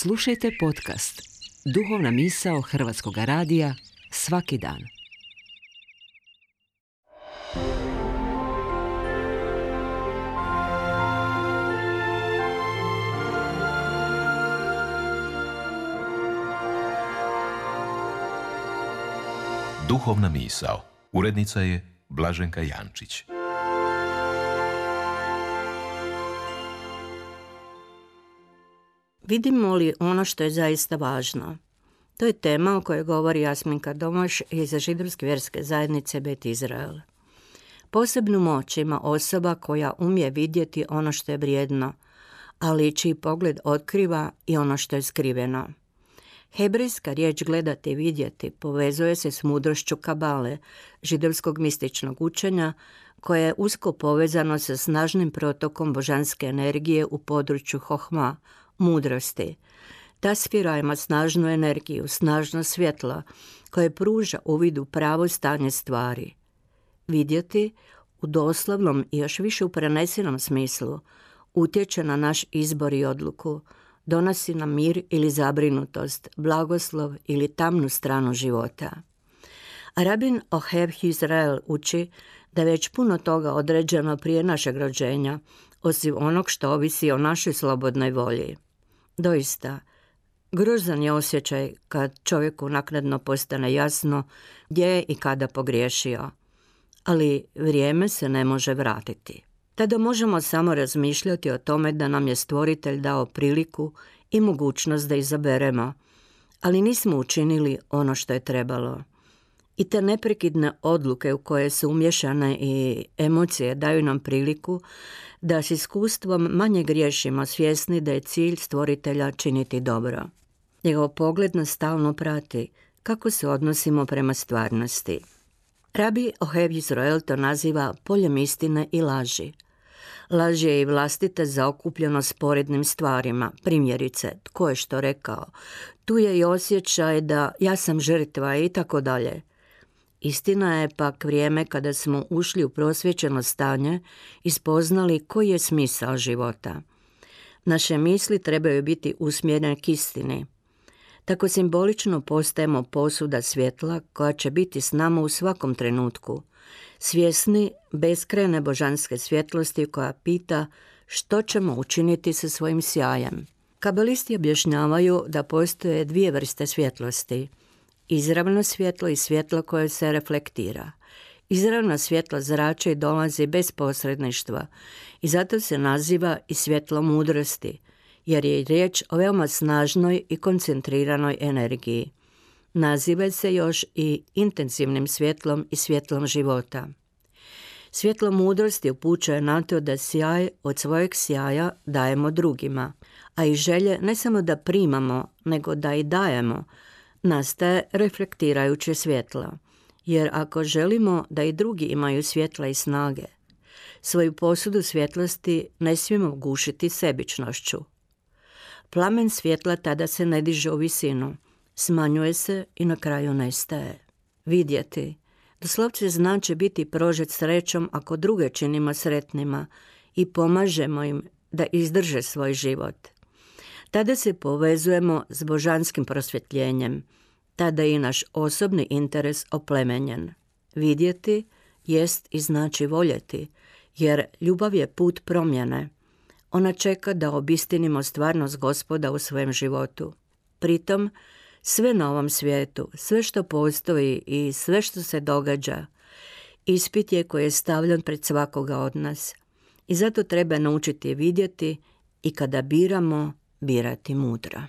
Slušajte podcast Duhovna misao Hrvatskog radija svaki dan. Duhovna misao. Urednica je Blaženka Jančić. Vidimo li ono što je zaista važno? To je tema o kojoj govori Jasminka Domaš iz židovske vjerske zajednice Bet Izrael. Posebnu moć ima osoba koja umije vidjeti ono što je vrijedno, ali čiji pogled otkriva i ono što je skriveno. Hebrejska riječ gledati i vidjeti povezuje se s mudrošću kabale, židovskog mističnog učenja, koje je usko povezano sa snažnim protokom božanske energije u području hohma, mudrosti. Ta sfera ima snažnu energiju, snažno svjetlo, koje pruža uvid u pravo stanje stvari. Vidjeti, u doslovnom i još više u prenesenom smislu, utječe na naš izbor i odluku, donosi nam mir ili zabrinutost, blagoslov ili tamnu stranu života. Rabin Ohev Izrael uči da već puno toga određeno prije našeg rođenja, osim onog što ovisi o našoj slobodnoj volji. Doista, grozan je osjećaj kad čovjeku naknadno postane jasno gdje je i kada pogriješio, ali vrijeme se ne može vratiti. Tada možemo samo razmišljati o tome da nam je Stvoritelj dao priliku i mogućnost da izaberemo, ali nismo učinili ono što je trebalo. I te neprekidne odluke u koje su umješane i emocije daju nam priliku da s iskustvom manje griješimo, svjesni da je cilj Stvoritelja činiti dobro. Njegov pogled nas stalno prati kako se odnosimo prema stvarnosti. Rabi Ohev Izrael to naziva poljem istine i laži. Laž je i vlastita zaokupljenost sporednim stvarima, primjerice, tko je što rekao, tu je i osjećaj da ja sam žrtva i tako dalje. Istina je pak vrijeme kada smo ušli u prosvjećeno stanje i spoznali koji je smisao života. Naše misli trebaju biti usmjerene k istini. Tako simbolično postajemo posuda svjetla koja će biti s nama u svakom trenutku, svjesni beskrajne božanske svjetlosti koja pita što ćemo učiniti sa svojim sjajem. Kabalisti objašnjavaju da postoje dvije vrste svjetlosti. Izravno svjetlo i svjetlo koje se reflektira. Izravno svjetlo zrači i dolazi bez posredništva i zato se naziva i svjetlo mudrosti, jer je riječ o veoma snažnoj i koncentriranoj energiji. Naziva se još i intenzivnim svjetlom i svjetlom života. Svjetlo mudrosti upućuje na to da sjaj od svojeg sjaja dajemo drugima, a i želje ne samo da primamo, nego da i dajemo, nastaje reflektirajuće svjetlo. Jer ako želimo da i drugi imaju svjetla i snage, svoju posudu svjetlosti ne smijemo gušiti sebičnošću. Plamen svjetla tada se ne diže u visinu, smanjuje se i na kraju nestaje. Vidjeti, doslovce znači biti prožet srećom ako druge činimo sretnima i pomažemo im da izdrže svoj život. Tada se povezujemo s božanskim prosvjetljenjem, tada je i naš osobni interes oplemenjen. Vidjeti jest i znači voljeti, jer ljubav je put promjene. Ona čeka da obistinimo stvarnost Gospoda u svojem životu. Pritom, sve na ovom svijetu, sve što postoji i sve što se događa, ispit je koji je stavljen pred svakoga od nas. I zato treba naučiti vidjeti i kada biramo, birati mudro.